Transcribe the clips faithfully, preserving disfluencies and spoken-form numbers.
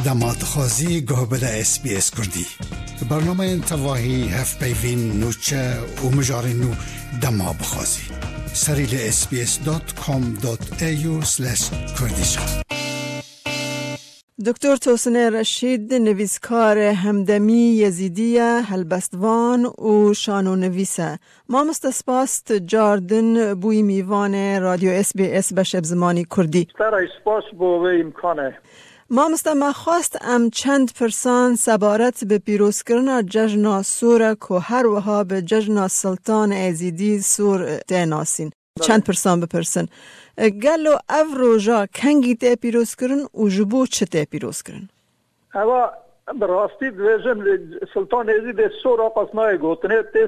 Dema dixwazî guh bide S B S Kurdî. Bernameyên tevahî, hevpeyvîn, nûçe û mijarên nû dema bixwazî. Serî li S B S dot com dot A U slash Kurdish. Doktor Tosinê Reşîd, nivîskar hemdemî Yezîdî ye, helbestvan û şanonivîs e. Mamoste, spas tu car din bûyî mîvanê Radyo S B S beşê bi zimanî Kurdî. Te re spas bo vê îmkanê. Mamoste, me xwest em çend pirsan sebaret bi pîrozkirina cejna sor e ku her wiha bi cejna Siltan Êzîdî sor tê nasîn. Belê. Çend pirsan bipirsin. E, gelo ev roja kengî tê pîrozkirin û ji bo çi tê pîrozkirin? Eva, bi rastî dibêjin, Siltan Êzîdê sor a qas nayê gotinê, tê,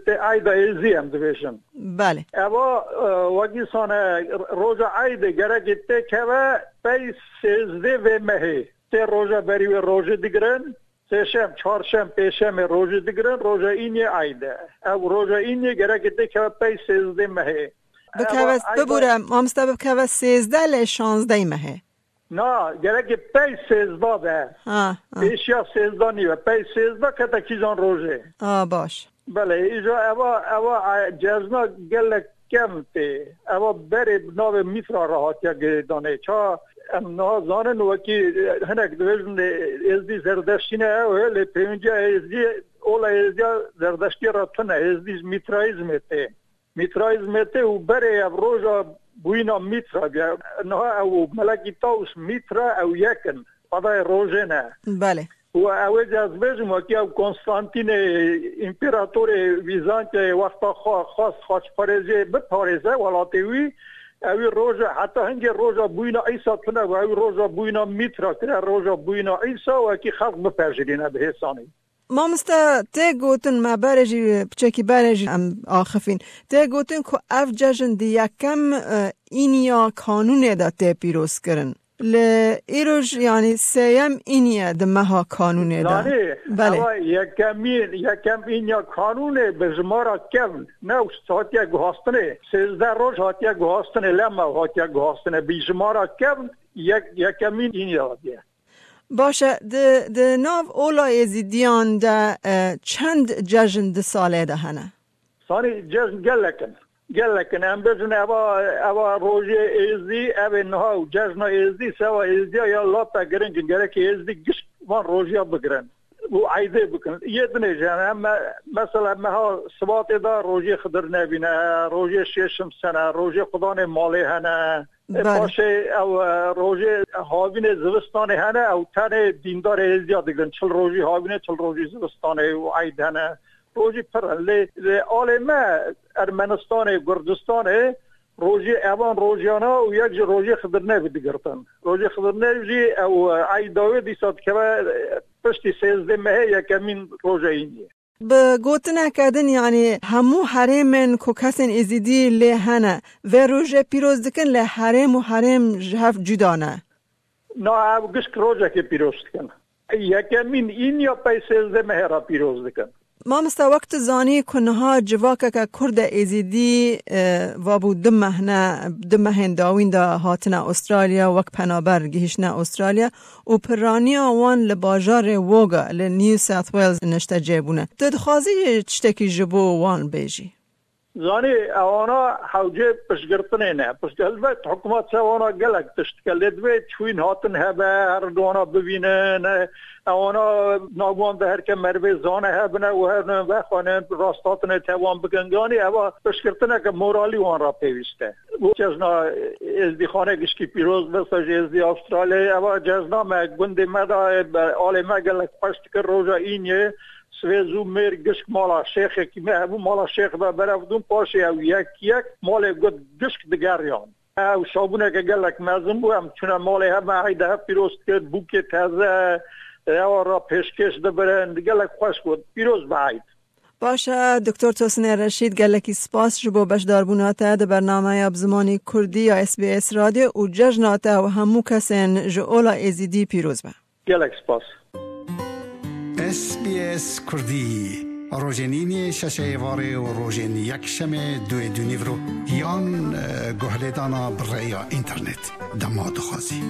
tê Eyda Êzî em dibêjin. Belê. Eva, e, wekî sane roja Eydê gerekê têkeve pey sêzdê vê mehê. Tê roja berî wê rojê digirin, sêşem, çarşem, pêşemê rojê digirin, roja Îniyê Eyd e. Ev roja Îniyê gerekê têkeve pey sêzdê mehê. Bikeve, Eva, Eyda bibûre, mamoste, bikeve sêzdeh lê şazdeh mehê. Na, gerekê pey sêzda be. Ha, ha. Pêşiya sêzda nîve. Pey sêzda kete kîjan rojê. A, baş. Belê, îja eva, eva, e, cejna gelek kevn tê. Eva berê bi navê Mîtra re hatiye girêdanê. Ça em niha zanin wekî, e, hinek dibêjin, e, Êzdî Zerdeştî ne ew e, lê pêwendiya Êzdî, ola Êzdiya Zerdeştî re tune. Êzdî ji Mîtraîzmê tê. Mîtraîzmê tê û berê ev roja bûyîna Mîtra bûye. Niha ew û Melekî Tawus Mîtra ew yek in. Qadayê rojê ne. Belê. Û ew ê ez bêjim, wekî ew Konstantînê împeratorê Vîzantiyayê wexta xwe xwest xaçparêziyê biparêze welatê wî, ewî roja, heta hingê roja bûyîna Îsa tune bû, ewî roja bûyîna Mîtra kire, roja bûyîna Îsa, wekî xelk bipejirîne bi hêsanî. Mamoste, tê gotin, me berê jî, piçekî berê jî em axifîn. Tê gotin ku ev cejn di yekem, e, Îniya Kanûnê de tê pîrozkirin. Li îroj, yanî sêyem Îniye di meha Kanûnê de. Yanî, Belê. Ewa yekemîn, yekem Îniya Kanûnê bi jimara kevn, ne hatiye guhastinê. Sêzdeh roj hatiye guhastinê, lema hatiye guhastinê. Bi jimara kevn, yek, yekemîn Îniya diye. Baş e, di, di nav ola Êzîdiyan de, e, çend cejn di salê de hene? Sanî cejn gelek in. Gelek in. Em bêjin eva, eva rojê Êzdî, ev ê niha û cejna Êzdî, seva Êzdiya ya lata giring in. Gerek Êzdî gişt van rojiya bigirin û eydê bikin. Yê dinê jî hene. Em me-, mesela meha Sibatê de rojê Xidir Nebî ne, rojê Şêşim Sene, rojê Xudanê Malê hene. E, Belê. Paşê ew, e, rojê havînê zivistanê hene, ew tenê dîndarê Êzdiya digirin. Çil rojî havînê, çil rojî zivistanê û eyd hene. Rojî pir in. Lê, lê alê me Ermenistanê, Kurdistanê rojê evan rojiyana û yek ji rojê Xidir Nebî digirtin. Rojê Xidir Nebî jî ew, e, eyda wê dîsa dikeve, e, piştî sêzdeh mehê yekemîn roja Îniyê. Bi gotineke din, yanî hemû herêmên ku kesên Êzîdî lê hene, vê rojê pîroz dikin, lê herêm û herêm ji hev cuda ne. Na, ev gişk rojekê pîroz dikin. Yekemîn Îniya pey sêzdeh mehê re pîroz dikin. Mamoste, wek tu zanî ku niha civakeke Kurd e Êzîdî, e, vabû du meh ne, du mehên dawîn de hatine Australya, wek penaber gihîştine Australya. û piraniya wan li bajarê Wagga li New South Wales niştecê bûne. Tu dixwazî tiştekî ji bo wan bêjî? Zanî, ewana hewcê piştgirtinê ne. Pişt-, helbet hikûmet ser wana gelek tişt dike. Lê divê çûyîn hatin hebe, her wana bibînin. Ewana navû wan de her ke merivê zane hebine û her ne vexwanin, rasthatinê tevan bikin. Yanî eva piştgirtineke moralî wan re pêwîst e. Û cejna Êzdîxanê gişkî pîroz be, ser ji Êzdî Astraliyayê. Eva cejna me gundê me de, be, alê me gelek xweş dikir. Roja Îniyê sivê zû mêr gişk mala şêxekî me hebû, mala şêx ve berev dûn, paşê ew yek yek malê gund gişk digeriyan. Ew şabûneke gelek mezin bû, em çûne malê hev me, eyda hev pîroz dikir, bûkê teze, ewa re pêşkêş dibirin, gelek xweş bû. Pîroz be eyd. Baş e, Doktor Tosinê Reşîd, gelekî spas ji bo beşdarbûna te di bernameya bi zimanî Kurdî ya S B S Radyo û cejna te û hemû kesên ji ola Êzîdî pîroz be. Gelek spas. S B S Kurdî, rojên Îniyê şeşê êvarê û rojên Yekşemê duê dûnîvro yan, e, guhlêdana bi rêya înternet dema dixwazî.